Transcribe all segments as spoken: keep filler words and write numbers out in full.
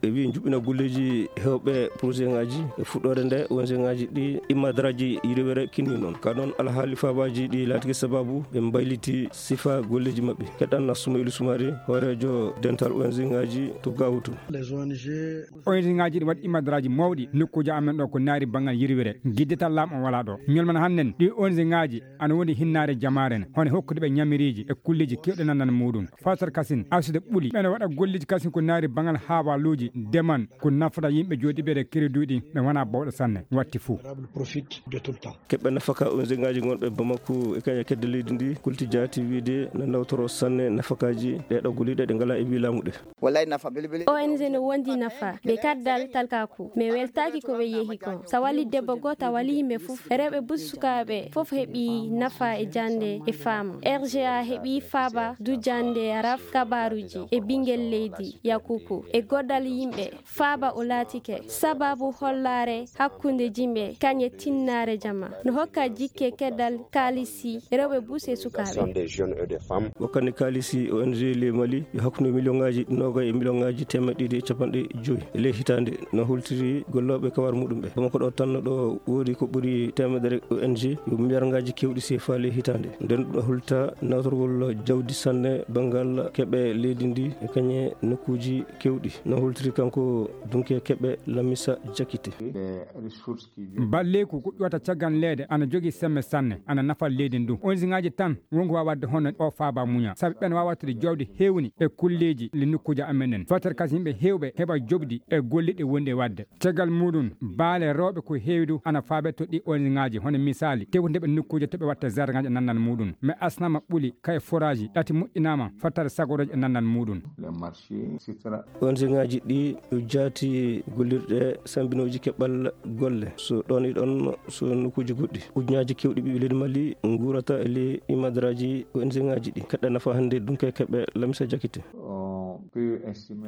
e wi juɓɓina golleeji hewɓe projet ngaji e fuɗɗoore nde O N G ngaji ɗi immadraji yirwere kinni noon ka noon alhaali fabaji ɗi laatiki sababu ɓe mbayliti sifa golleeji maɓɓe. Keɗan Assuma Ilu Sumari, hooreejo dental O N G ngaji to Gawutu. O N G ngaji ɗi waɗi immadraji mawɗi nokkuuji amen ɗo ko naari banngal yirwere giddital laamu o wala ɗo ñolman hannden ɗi O N G ngaji ana woni hinnaare jamaare ne hono hokkude ɓe ñamiriiji e kulleeji kewɗe nanndana muɗum. Fatar kasin arsude ɓuli ɓene waɗa golleeji kasin ko naari banngal haabaluuji deman ko nafata yimɓe jooɗiɓe e kereduuɗi ɓe wona bawɗo sanne watti fuu. Keɓɓe nafaka O N G ngaji gonɓe Bamako e kaña kedde leydi ndi kulti jaati wiide na nawtoro sanne nafakaji ɗeɗo goliɗe ɗe ngala e wi laamu ɗe. Wallay nafa belebele. O N G no wondi nafa ɓe kaddal talkaku mi weltaki ko ɓe yehi kon sa wali debbo goto a wali yimɓe fof rewɓe bus sukaɓe fof heɓi nafa e jande e faama. R G A heɓi faaba dujande raf kabaruji e ɓingel leydi yakuku e goddal yimɓe faaba o laatike sababu hollaare hakkunde jimɓe kañe tinnaare jama no hokka jikke keddal kaalisi rewɓe bus e sukaɓe. Wakkati kaalisi O N G ley Mali yo hakkunde miliyoŋaaji noogay e miliyoŋaaji teemeɗɗe ɗiɗi e capanɗe joyi e ley hitaande no holtiri gollooɓe kawar muɗum ɓe. Bamako ɗo tan no ɗo woodi ko ɓuri teemedere O N G yo miliyarŋaaji kewɗi sefa ley hitaande. Nden ɗum no holta nawtorgol jawdi sanne banngal keɓe leydi ndi e kañe nokkuuji kewɗi no holtiri kanko dunke keɓe Lamisa Jakite. Balleeku ko ƴuwata caggal leede ana jogii semme sanne ana nafa leydi ndu. Onziŋaaji tan wonko waawi waɗde hono o faaba muña sabi ɓen waawi wattude jawdi heewni e kulleeji le nokkuuji amen en fotata kasi yimɓe heewɓe heɓa joɓdi e golliɗe wonɗi e waɗde. Caggal muɗum baale rewɓe ko heewi du ana faabe to ɗi onziŋaaji hono misaali tewtude ɓe nokkuuji to ɓe watta zargaji e nannal muɗum mais asnama ɓuli kay forage ɗati moƴƴinama fottata sagoroji e nannal muɗum. Onziŋaaji ɗi jaati gollirɗe sambinooji keɓal golle so ɗon e ɗon so nokkuuji goɗɗi ujuñaaji kewɗi ɓiɓɓe leydi Mali nguurata e ley imadraji onziŋaaji ɗi kaɗɗa nafa hannde dunke keɓe Lamisa Jakite.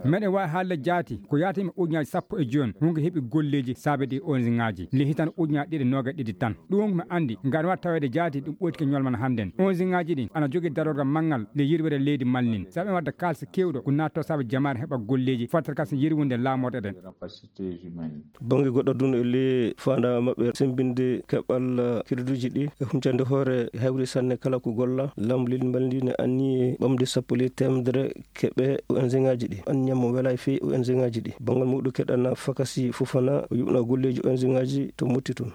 Meɗen waawi haalde jaati ko yaata yimɓe ujuñaaji sappo e jooni wonko heɓi golleeji saabe ɗi onziŋaaji ley hitande ujuñaaji ɗiɗi nooga ɗiɗi tan. Ɗum wonko mi anndi ngam waɗa taweede jaati ɗum ɓoytike ñolman hannden onziŋaaji ɗi ana jogii darorgal manngal nde yirwere leydi Mali ndin sabu en waɗde kaalisi keewɗo ko naatto sabu jamaare heɓa golleeji fotata kasi yirwunde laamorɗe ɗen. Bannge goɗɗo dun e ley faandaare maɓɓe sembinde keɓal kiriduuji ɗi e huncande hoore hewri sanne kala ko golla laamu leydi Mali ndi ne anni ɓamde sappo ley teemedere keɓe onziŋaaji ɗi anniya mo welay fey onziŋaaji ɗi banngal muɗum keɗana fakasi fofana o yuɓna golleeji onziŋaaji to motti tun.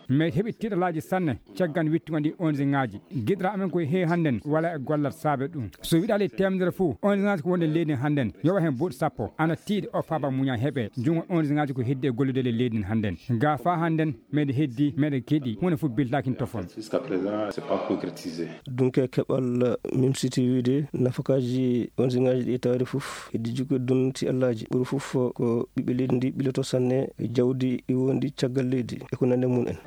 Mais heɓi tiiɗalaaji sanne caggal wittugol ɗi onziŋaaji giɗra amen koye heewi hannden wala e gollat saabe ɗum so wiɗaali teemedere fof onziŋaaji ko wonde leydi hannden yowa heen buuɗi sappo ana tiiɗi o faaba muña heɓe junngo onziŋaaji ko heddi e gollude le leydi hannden ga faa hannden meɗe heddi meɗe keɗi huunde fof biltakin tofon. Dunke keɓal mimsiti wiide nafakaaji onziŋaaji ɗi tawde fof heddi jikkude dun ti allaaji ɓuri fof ko ɓiɓɓe leydi ndi ɓiloto sanne e jawdi iwondi caggal leydi e ko nande mum en.